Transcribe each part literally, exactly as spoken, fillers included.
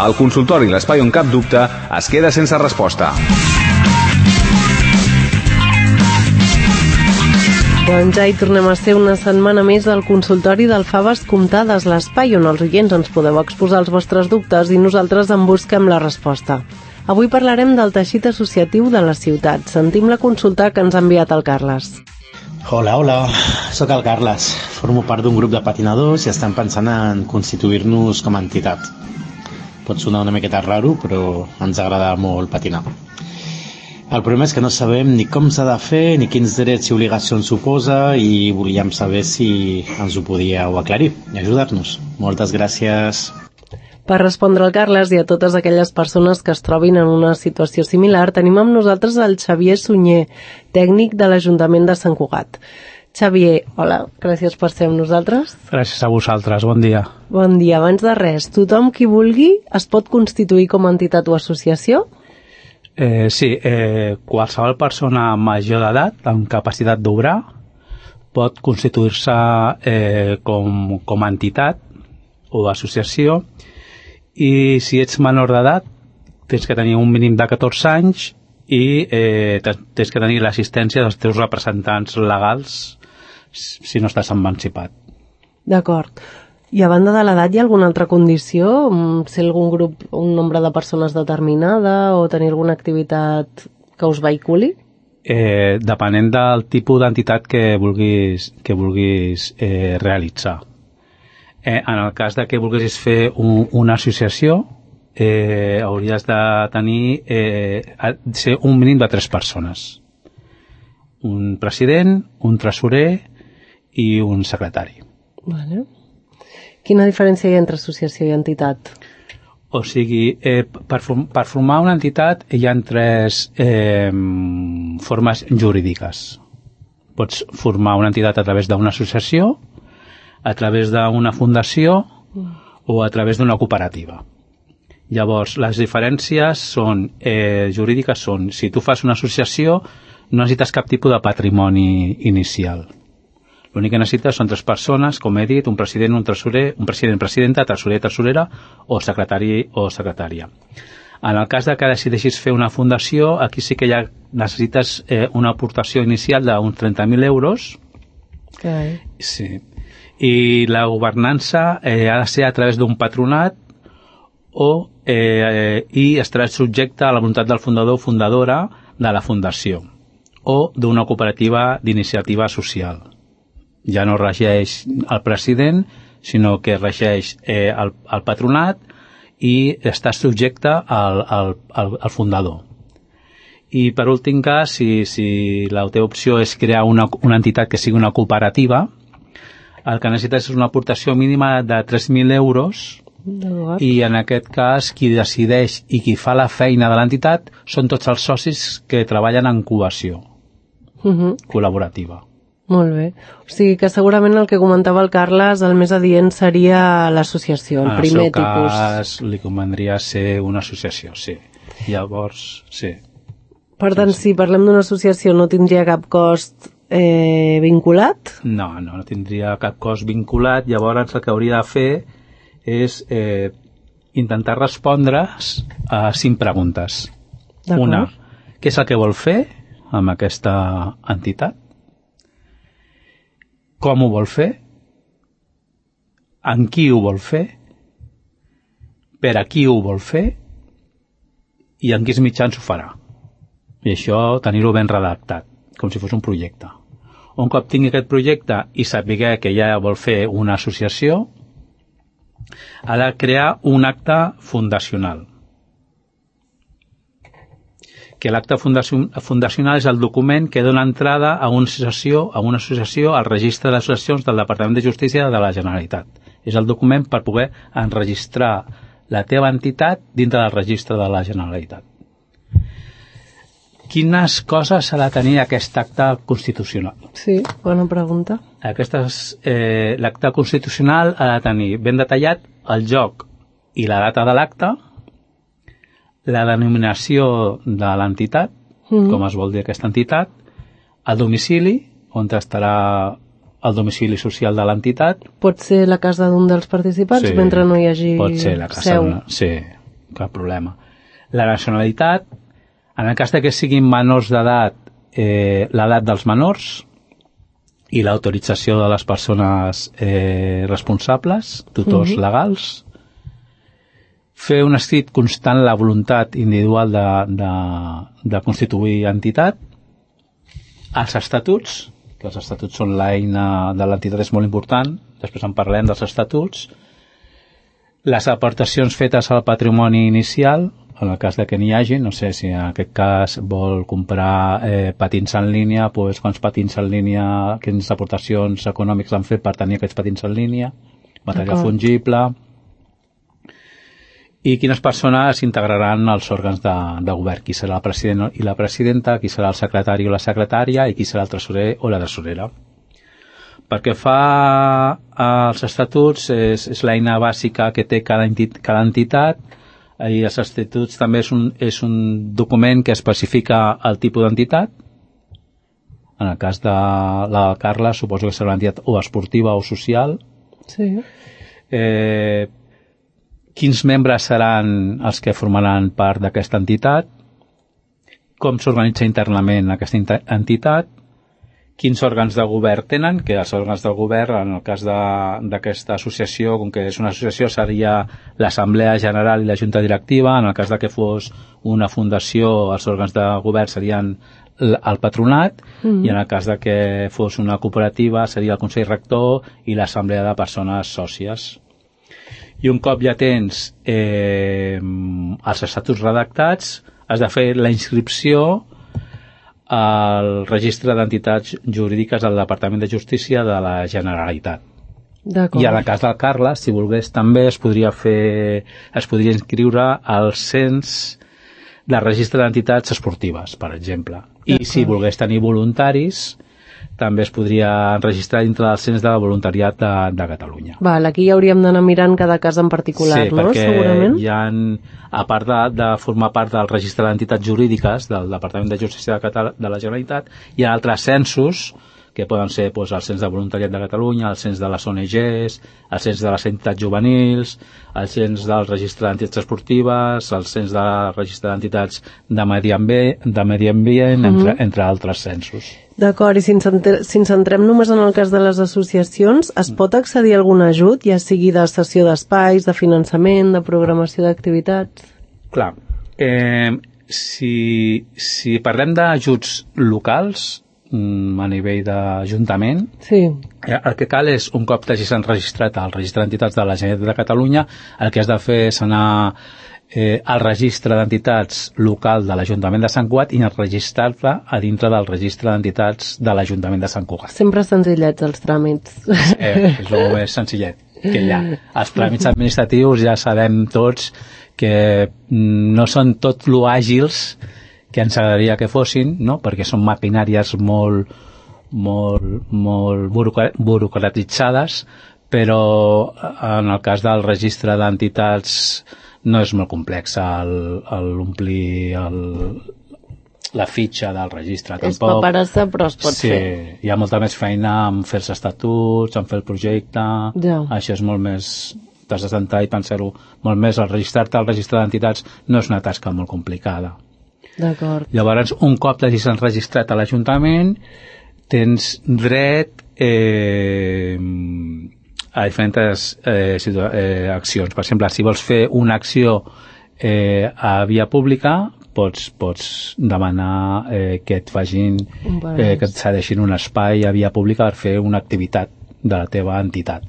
El consultori L'Espai on cap dubte es queda sense resposta. Doncs ja hi tornem a ser una setmana més al consultori del Faves Comptades, l'espai on els oients ens podeu exposar els vostres dubtes i nosaltres en busquem la resposta. Avui parlarem del teixit associatiu de la ciutat. Sentim la consulta que ens ha enviat el Carles. Hola, hola, sóc el Carles. Formo part d'un grup de patinadors i estem pensant en constituir-nos com a entitat. Pot sonar una miqueta raro, però ens agrada molt patinar. El problema és que no sabem ni com s'ha de fer, ni quins drets i obligacions suposa, i volíem saber si ens ho podíeu aclarir i ajudar-nos. Moltes gràcies. Per respondre al Carles i a totes aquelles persones que es trobin en una situació similar, tenim amb nosaltres el Xavier Sunyer, tècnic de l'Ajuntament de Sant Cugat. Xavier, hola, gràcies per ser amb nosaltres. Gràcies a vosaltres, bon dia. Bon dia. Abans de res, tothom qui vulgui es pot constituir com a entitat o associació? Eh, sí, eh, qualsevol persona major d'edat amb capacitat d'obrar pot constituir-se eh, com, com a entitat o associació, i si ets menor d'edat tens que tenir un mínim de catorze anys i eh, tens que tenir l'assistència dels teus representants legals si no estàs emancipat. D'acord. I a banda de l'edat hi ha alguna altra condició? Ser algun grup, un nombre de persones determinada o tenir alguna activitat que us vehiculi? Eh, depenent del tipus d'entitat que vulguis, que vulguis eh, realitzar. Eh, en el cas de que vulguis fer un, una associació, eh, hauries de tenir eh, ser un mínim de tres persones. Un president, un tresorer i un secretari. Vale. Quina diferència hi ha entre associació i entitat? O sigui, eh, per, per formar una entitat hi ha tres eh, formes jurídiques. Pots formar una entitat a través d'una associació, a través d'una fundació o a través d'una cooperativa. Llavors, les diferències són, eh, jurídiques són, si tu fas una associació no necessites cap tipus de patrimoni inicial. L'únic que necessites són tres persones, com he dit, un president, un tresorer, un president, presidenta, tresorer, tresorera o secretari o secretària. En el cas de que decideixis fer una fundació, aquí sí que ja necessites eh, una aportació inicial d'uns trenta mil euros. Okay. Sí. I la governança eh, ha de ser a través d'un patronat o, eh, i estarà subjecte a la voluntat del fundador o fundadora de la fundació o d'una cooperativa d'iniciativa social. Ja no regeix el president, sinó que regeix eh, el, el patronat i està subjecte al, al, al, al fundador. I per últim cas, si, si la teva opció és crear una, una entitat que sigui una cooperativa, el que necessites és una aportació mínima de tres mil euros i en aquest cas qui decideix i qui fa la feina de l'entitat són tots els socis que treballen en cohesió uh-huh. col·laborativa. Molt bé. O sigui que segurament el que comentava el Carles, el més adient seria l'associació, el primer tipus. En el seu cas li convendria ser una associació, sí. Llavors, sí. Per tant, si parlem d'una associació no tindria cap cost eh, vinculat? No, no, no tindria cap cost vinculat. Llavors el que hauria de fer és eh, intentar respondre a cinc preguntes. Una, què és el que vol fer amb aquesta entitat? Com ho vol fer? En qui ho vol fer? Per a qui ho vol fer? I en quins mitjans ho farà? I això tenir-ho ben redactat, com si fos un projecte. Un cop tingui aquest projecte i sàpiga que ja vol fer una associació, ha de crear un acte fundacional. Que l'acte fundacional és el document que dona entrada a una associació, a una associació al registre d'associacions del Departament de Justícia de la Generalitat. És el document per poder enregistrar la teva entitat dintre del registre de la Generalitat. Quines coses ha de tenir aquest acte constitucional? Sí, bona pregunta. Aquestes, eh, l'acte constitucional ha de tenir ben detallat el lloc i la data de l'acte, la denominació de l'entitat, mm-hmm. com es vol dir aquesta entitat, el domicili, on estarà el domicili social de l'entitat. Pot ser la casa d'un dels participants sí, mentre no hi hagi pot ser la casa seu. Una, sí, cap problema. La nacionalitat, en el cas de que siguin menors d'edat, eh, l'edat dels menors i l'autorització de les persones eh, responsables, tutors mm-hmm. legals, fer un escrit constant la voluntat individual de, de, de constituir entitat, els estatuts, que els estatuts són l'eina de l'entitat, és molt important, després en parlem dels estatuts, les aportacions fetes al patrimoni inicial, en el cas de que n'hi hagi, no sé si en aquest cas vol comprar eh, patins en línia, doncs quants patins en línia, quines aportacions econòmiques han fet per tenir aquests patins en línia, material fungible, i quines persones integraran els òrgans de, de govern, qui serà el president i la presidenta, qui serà el secretari o la secretària i qui serà el tresorer o la tresorera. Perquè fa als estatuts, és, és l'eina bàsica que té cada, entit, cada entitat, i els estatuts també és un, és un document que especifica el tipus d'entitat. En el cas de la Carla suposo que serà una entitat o esportiva o social. Sí. Eh, quins membres seran els que formaran part d'aquesta entitat, com s'organitza internament aquesta entitat, quins òrgans de govern tenen, que els òrgans del govern, en el cas d'aquesta associació, com que és una associació, seria l'Assemblea General i la Junta Directiva. En el cas de que fos una fundació, els òrgans de govern serien el patronat, mm-hmm. i en el cas de que fos una cooperativa seria el Consell Rector i l'Assemblea de Persones Sòcies. I un cop ja tens eh, els estatuts redactats, has de fer la inscripció al registre d'entitats jurídiques del Departament de Justícia de la Generalitat. I en el cas del Carles, si volgués també es podria fer, es podria inscriure al cens del registre d'entitats esportives, per exemple. I si volgués tenir voluntaris, també es podria registrar dintre del cens de voluntariat de, de Catalunya. Val, aquí ja hauríem d'anar mirant cada cas en particular, sí, no? Sí, perquè segurament hi ha, a part de, de formar part del registre d'entitats jurídiques del Departament de Justícia de, Catal de la Generalitat, hi ha altres censos, que poden ser doncs, el cens de voluntariat de Catalunya, el cens de les O N Ges, el cens de les entitats juvenils, el cens del registre d'entitats esportives, el cens del registre d'entitats de medi ambient, de medi ambient mm-hmm. entre, entre altres censos. D'acord, i si ens, si ens centrem només en el cas de les associacions, es pot accedir a algun ajut, ja sigui de cessió d'espais, de finançament, de programació d'activitats? Clar, eh, si, si parlem d'ajuts locals, a nivell d'Ajuntament, sí. el que cal és, un cop t'hagis enregistrat al registre d'entitats de la Generalitat de Catalunya, el que has de fer és anar eh, al registre d'entitats local de l'Ajuntament de Sant Cugat i enregistrar-te a dintre del registre d'entitats de l'Ajuntament de Sant Cugat. Sempre senzillets els tràmits. Eh, és el més senzillet que hi ha. Els tràmits administratius ja sabem tots que no són tot lo àgils que ens agradaria que fossin, no? Perquè són maquinàries molt, molt, molt burocratitzades, però en el cas del registre d'entitats no és molt complex l'omplir la fitxa del registre. És paperassa, però es pot sí, fer. Sí, hi ha molta més feina en fer els estatuts, en fer el projecte, ja. Això és molt més... t'has de sentar i pensar-ho molt més. El registrar-te al registre d'entitats no és una tasca molt complicada. D'acord. Llavors, un cop t'hagis enregistrat a l'Ajuntament, tens dret eh, a diferents eh, eh, accions. Per exemple, si vols fer una acció eh, a via pública, pots, pots demanar eh, que et facin, eh, que et cedeixin un espai a via pública per fer una activitat de la teva entitat.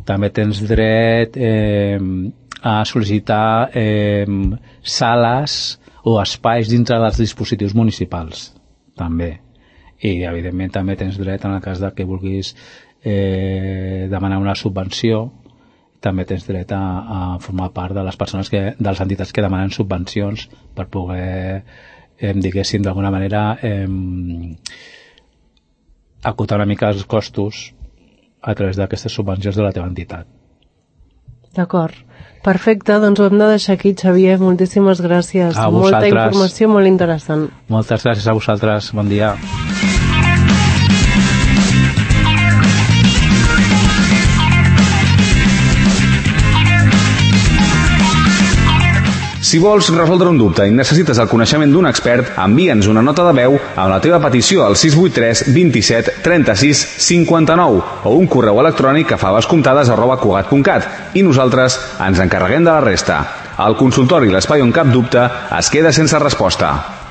També tens dret eh, a sol·licitar eh, sales o espais dintre dels dispositius municipals, també. I, evidentment, també tens dret, en el cas de que vulguis eh, demanar una subvenció, també tens dret a, a formar part de les persones que, de les entitats que demanen subvencions per poder, eh, diguéssim, d'alguna manera eh, acotar una mica els costos a través d'aquestes subvencions de la teva entitat. D'acord. Perfecte, doncs ho hem de deixar aquí, Xavier. Moltíssimes gràcies. A vosaltres. Molta informació molt interessant. Moltes gràcies a vosaltres. Bon dia. Si vols resoldre un dubte i necessites el coneixement d'un expert, envia'ns una nota de veu amb la teva petició al sis vuit tres dos set tres sis cinc nou o un correu electrònic a favascomptades arroba cugat punt cat i nosaltres ens encarreguem de la resta. El consultori L'Espai on cap dubte es queda sense resposta.